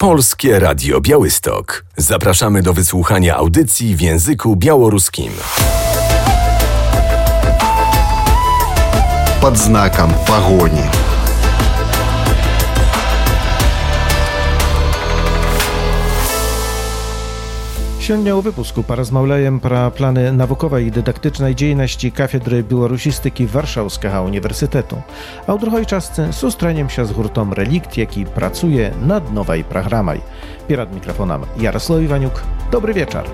Polskie Radio Białystok. Zapraszamy do wysłuchania audycji w języku białoruskim. Под знаком погони. Сёння ў выпуску паразмаўляем пра планы навуковай і дыдактычнай дзейнасці кафедры беларусістыкі Варшаўскага універсітэту. А ў другой частцы сустрэнемся з гуртом «Рэлікт», які працуе над новай праграмай. Перад мікрафонам Ярослав Іванюк. Добры вечар.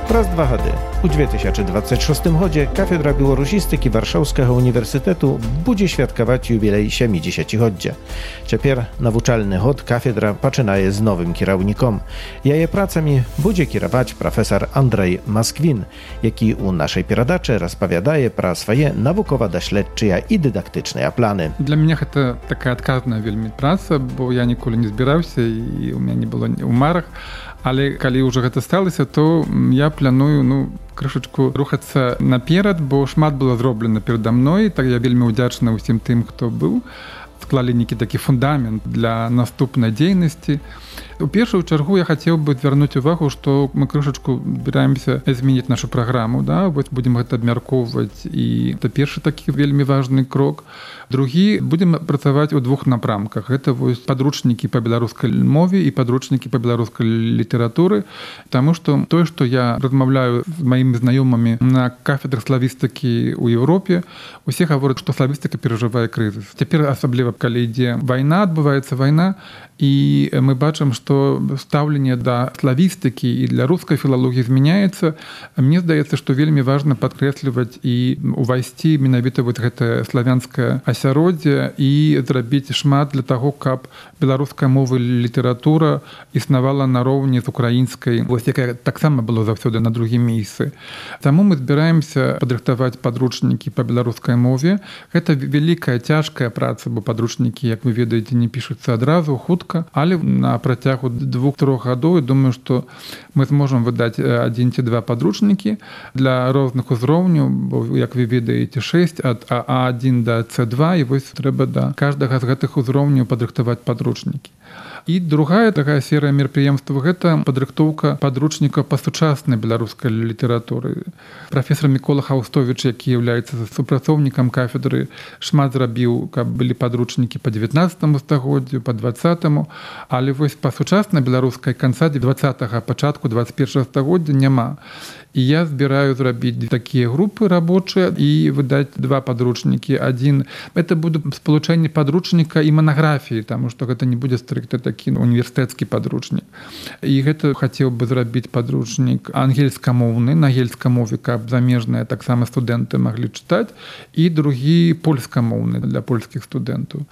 Праз 2 гады. У 2026 годзе кафедра беларусістыкі Варшаўскага універсітэту будзе святкаваць юбілей 70-годдзя. Цяпер навучальны год кафедра пачынае з новым кіраўніком. Яе працамі будзе кіраваць прафесар Андрэй Масквін, які ў нашай перадачы распавядае пра свае навукова-даследчыя і дыдактычныя планы. Для мяне гэта такая адказная вельмі праца, бо я ніколі не збіраўся і у мяне не было ў марах. Але калі ўжо гэта сталася, то я планую, крышачку рухацца наперад, бо шмат было зроблена перада мной, так я вельмі ўдзячны ўсім тым, хто быў. Склалі нейкі такі фундамент для наступнай дзейнасці. У першую чаргу я хацеў бы звярнуць увагу, што мы крышачку збіраемся змяніць нашу праграму, вось будзем гэта абмяркоўваць, і это першы такі вельмі важны крок. Другі, будзем працаваць у 2 напрамках. Гэта вось падручнікі па беларускай мове і падручнікі па беларускай літаратуры, таму што тое, што я размаўляю з маімі знаёмымі на кафедрах славістыкі ў Еўропе, усе гавораць, што славістыка перажывае крызіс. Цяпер асабліва, калі ідзе вайна, адбываецца вайна, і мы бачым, што стаўленне да славістыкі і для рускай філалогіі змяняецца. Мне здаецца, што вельмі важна падкрэсліваць і увайсці менавіта вось гэтае славянскае асяроддзе і зрабіць шмат для таго, каб беларуская мова і літаратура існавала нароўні з украінскай, вось якая таксама было заўсёды на другім месцы. Таму мы збіраемся падрыхтаваць падручнікі па беларускай мове. Гэта вялікая, цяжкая праца, бо падручнікі, як вы ведаеце, не пішуцца адразу, хутка. Але на працягу 2-3 гадоў, я думаю, што мы зможам выдаць 1 ці 2 падручнікі для розных узроўняў, бо, як вы ведаеце, 6 ад А1 да С2, і вось трэба да кожнага з гэтых узроўняў падрыхтаваць падручнікі. І другая такая серыя мерапрыемстваў — гэта падрыхтоўка падручнікаў па сучаснай беларускай літаратуры. Прафесар Мікола Хаустовіч, які з'яўляецца супрацоўнікам кафедры, шмат зрабіў, каб былі падручнікі па 19 стагоддзю, па 20-му, але вось па сучаснай беларускай канца 20-га, пачатку 21-го стагоддзя няма. І я збіраю зрабіць такія групы рабочыя і выдаць 2 падручнікі. Адзін — это будзе спалучэнне падручніка і манаграфіі, таму што гэта не будзе стрыкта такі універсітэцкі падручнік. І гэта хацеў бы зрабіць падручнік ангельскамоўны, на ангельскай мове, каб замежныя таксама студэнты маглі чытаць, і другі польскамоўны для польскіх студэнтаў.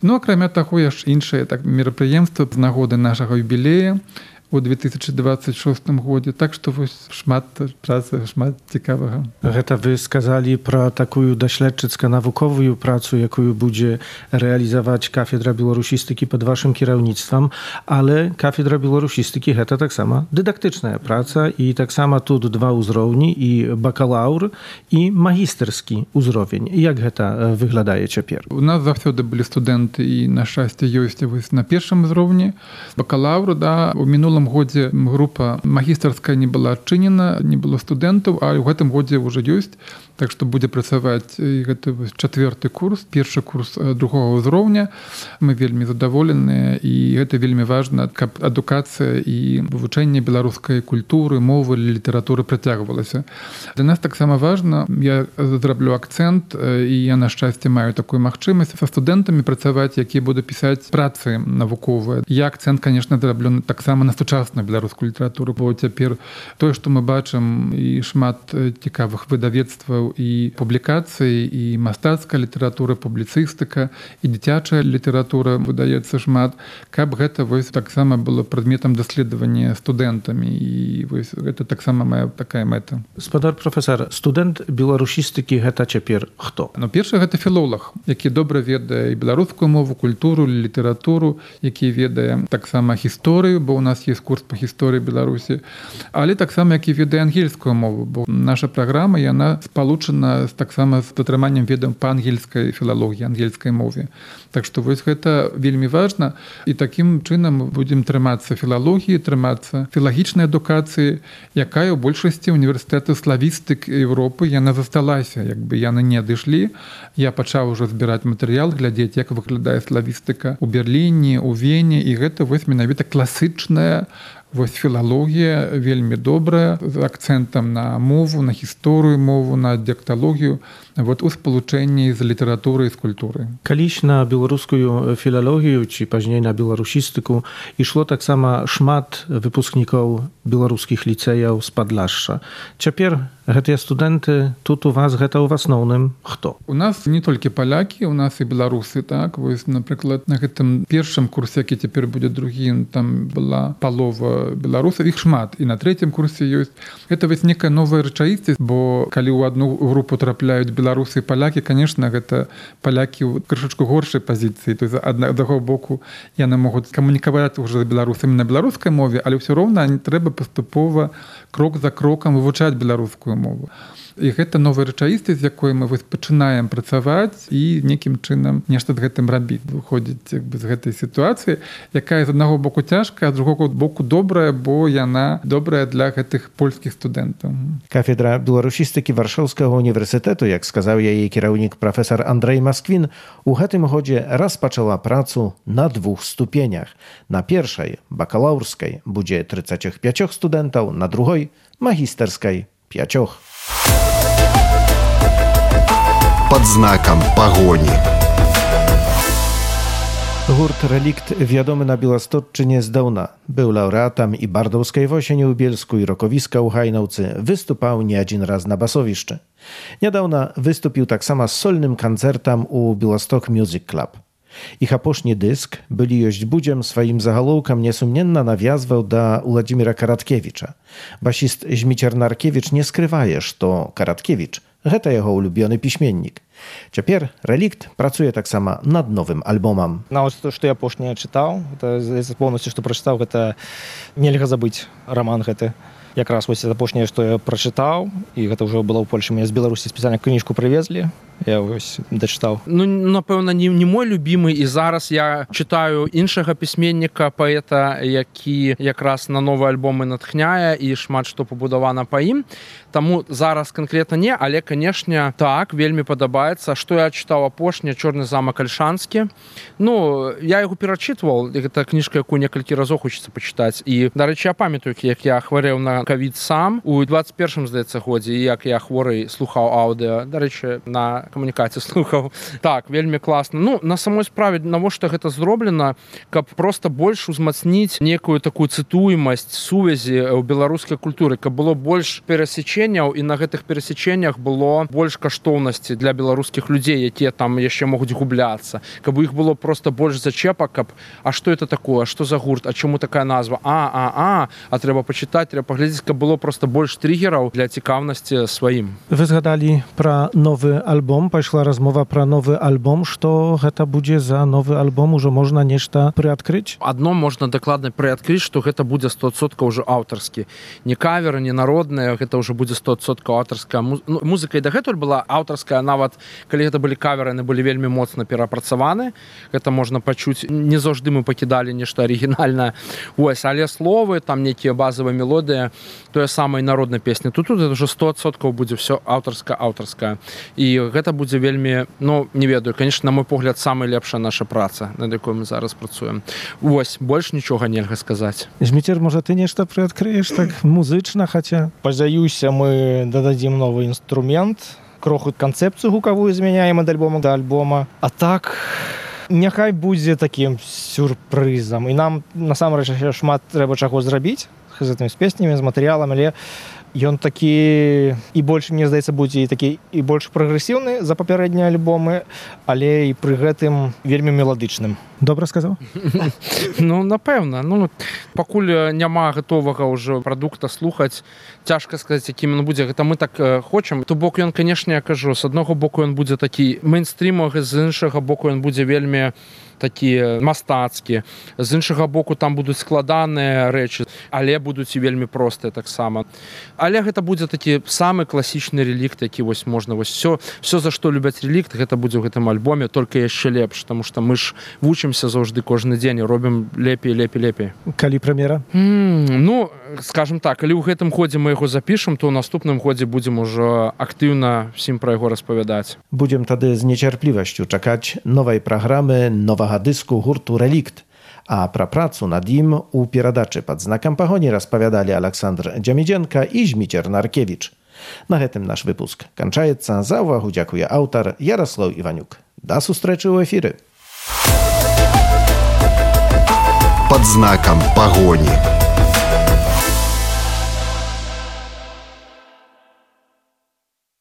Акрамя таго, яшчэ іншыя мерапрыемствы з нагоды нашага юбілея у 2026 годзе. Так што вось шмат працы, шмат цікавага. Гэта вы сказалі пра такую даследчыцка-навуковую працу, якую будзе рэалізаваць кафедра беларусістыкі пад вашым кіраўніцтвам, але кафедра беларусістыкі — гэта таксама дыдактычная праца, і таксама тут 2 ўзроўні, і бакалаўр, і магістарскі ўзровень. Як гэта выглядае цяпер? У нас заўсёды былі студэнты, і на шчасце ёсць вось на першым узроўні. Бакалаўр, у мінулым годзе група магістарская не была адчынена, не было студэнтаў, а ў гэтым годзе ўжо ёсць. Так што будзе працаваць гэта 4-й курс, першы курс 2-го ўзроўня. Мы вельмі задаволеныя, і гэта вельмі важна, каб адукацыя і вывучэнне беларускай культуры, мовы, літаратуры працягвалася. Для нас таксама важна, я зраблю акцэнт, і я, на шчасце, маю такую магчымасць са студэнтамі працаваць, якія будуць пісаць працы навуковыя. Я акцэнт, канешне, зраблю таксама на сучасную беларускую літаратуру, бо цяпер тое, што мы бачым, і шмат цікавых выдавецтваў і публікацый, і мастацкая літаратура, публіцыстыка, і дзіцячая літаратура выдаецца шмат, каб гэта вось таксама было прадметам даследавання студэнтамі, і вось гэта таксама моя такая мэта. Спадар прафесар, студэнт беларусістыкі гэта цяпер хто? Першы гэта філолог, які добра ведае і беларускую мову, культуру, літаратуру, які ведае таксама гісторыю, бо у нас є увесь курс па гісторыі Беларусі, але таксама як і ведае ангельскую мову, бо наша праграма яна спалучана таксама з атрыманнем ведаў па ангельскай філалогіі, ангельскай мове. Так што вось гэта вельмі важна, і такім чынам мы будзем трымацца філалогіі, трымацца філагічнай адукацыі, якая ў большасці універсітэтаў славістык Еўропы яна засталася, як бы яны не адышлі. Я пачаў ужо збіраць матэрыял, глядзець, як выглядае славістыка ў Берліне, у Вене, і гэта вось менавіта класычная вось філалогія, вельмі добрая, з акцэнтам на мову, на гісторыю мову, на дыялекталогію, вот у спалучэнні з літаратурай і з культурай. Калісь на беларускую філалогію ці пазней на беларусістыку ішло таксама шмат выпускнікоў беларускіх ліцэяў з Падляшша. Цяпер гэтыя студэнты тут у вас гэта ў асноўным хто? У нас не толькі палякі, у нас і беларусы, так. Вось, напрыклад, на гэтым першым курсе, які цяпер будзе другі, там была палова беларусаў, іх шмат, і на трэцім курсе ёсць. Гэта вось некая новая рэчаіснасць, бо калі ў адну групу трапляюць беларусы і палякі, конечно, гэта палякі ў крышачку горшай пазіцыі. То есть аднаго боку яны могуць камунікаваць уже з беларусамі на беларускай мове, але ўсё роўна трэба паступова крок за крокам вывучаць беларускую мову. І гэта новая рэчаіснасць, з якой мы пачынаем працаваць і нейкім чынам нешта з гэтым рабіць. Выходзіць з гэтай сітуацыі, якая з аднаго боку цяжкая, а з другого боку добрая, бо яна добрая для гэтых польскіх студэнтаў. Кафедра беларусістыкі Варшаўскага універсітэту, як сказаў яе кіраўнік прафесар Андрэй Масквін, у гэтым годзе распачала працу на 2 ступенях. На першай, бакалаўрскай, будзе 35 студэнтаў, на другой, магістарскай, 5. Под знаком погони. Гурт «Релікт» вядомы на Беластотчыне здаўна. Быў лаўрэатам і бардаўскай восені ў Бельску, і рокавіска ў Гайнаўцы, выступаў не адзін раз на басовішчы. Нядаўна выступіў таксама з сольным канцэртам у Беласток Music Club. Іх апошні дыск «Былі ёсць будзем» сваім загалоўкам несумненна навязваў да Уладзіміра Караткевіча. Басіст Зміцер Наркевіч не скрывае, што Караткевіч – гэта яго улюбёны пісьменнік. Цяпер «Релікт» працуе таксама над новым альбомам. Нават што я апошняе чытаў, гэта поўнасцю, што прачытаў, гэта нельга забыць раман гэты. Якраз вось апошняе, што я прачытаў, і гэта ўжо было ў Польшы. Мне з Беларусі спецыяльна кніжку прывезлі, я вось дачытаў. Ну, напэўна, не мой любімы, і зараз я чытаю іншага пісьменніка, паэта, які якраз на новы альбомы натхняе, і шмат што пабудавана па ім. Таму зараз канкрэтна не, але, канешне, так, вельмі падабаецца. Што я чытаў апошняе, «Чорны замак Альшанскі». Ну, я яго перачытваў, гэта кніжка, якую некалькі разоў хочацца пачытаць. І, дарэчы, я памятаю, як я хварэў на ковід сам у 21-м, здаецца, годзе, і як я хворый слухаў аўдыо, дарэчы, на камунікацыі слухаў. Так, вельмі класна. Ну, на самой справе, навошта гэта зроблена, каб проста больш узмацніць некую такую цытуемасць сувязі ў беларускай культуры, каб было больш перасеченняў, і на гэтых перасеченнях было больш каштоўнасці для беларускіх людзей, якія там яшчэ могуць губляцца, каб у іх было проста больш зачэпак, каб а што это такое, што за гурт, а чаму такая назва, а трэба пачытаць, трэба паглядзець, каб было проста больш триггераў для цікаўнасці сваім. Вы згадалі пра новы альбом, пайшла размова пра новы альбом. Што гэта будзе за новы альбом? Ужо можна нешта прыадкрыць? Адно можна дакладна прыадкрыць, што гэта будзе 100% ўжо аўтарскі. Не кавер, не народная, гэта ўжо будзе 100% аўтарская музыка. І дагэтуль была аўтарская, нават калі гэта былі каверы, яны былі вельмі моцна перапрацаваны. Гэта можна пачуць. Не заўжды мы пакідалі нешта арыгінальнае. Вось, але словы, там нейкія базавыя мелодыі, тое самае народнай песні. Тут это ўжо 100% будзе ўсё аўтарская. І гэта будзе вельмі, ну, не ведаю, конечно, на мой погляд, самая лепшая наша праца, над якой мы зараз працуем. Вось, больш нічога нельга сказаць. Зміцер, можа, ты нешта прыадкрыеш так музычна, хаця? Спадзяюся, мы дададзім новы інструмент, кроху канцэпцыю гукавую змяняем ад альбома да альбома. А так, няхай будзе такім сюрпрызам. І нам, насамрэч, шмат трэба чаго зрабіць з гэтымі песнямі, з матэрыялам, але ён такі і больш, мне здаецца, будзе і такі і больш прагрэсіўны за папярэднія альбомы, але і пры гэтым вельмі меладычным. Добра сказаў? Ну, напэўна. Ну, пакуль няма гатовага ўжо прадукта слухаць, цяжка сказаць, якім ён будзе. Гэта мы так хочам. То бок ён, канешне, я кажу, з аднаго боку ён будзе такі мейнстрімовы, з іншага боку ён будзе вельмі такі мастацкі. З іншага боку, там будуць складаныя рэчы, але будуць і вельмі простыя таксама. Але гэта будзе такі самы класічны релікт, які вось можна вось все за што любяць релікт, гэта будзе ў гэтым альбоме, толькі яшчэ лепш, таму што мы ж вучымся заўжды кожны дзень і робім лепей. Калі прэм'ера? Ну, скажем так, калі ў гэтым годзе мы яго запішам, то ў наступным годзе будзем ужо актыўна всім пра яго распавядаць. Будзем тады з нецярплівасцю чакаць новай праграмы, новага дыску гурту «Релікт». А пра працу над ім у перадачы «Пад знакам пагоні» распавядалі Александр Дзямідзенка і Зміцер Наркевіч. На гэтым наш выпуск канчаецца. За ўвагу дзякуе аўтар Яраслаў Іванюк. Да сустрэчы ў эфіры. «Под знаком погони».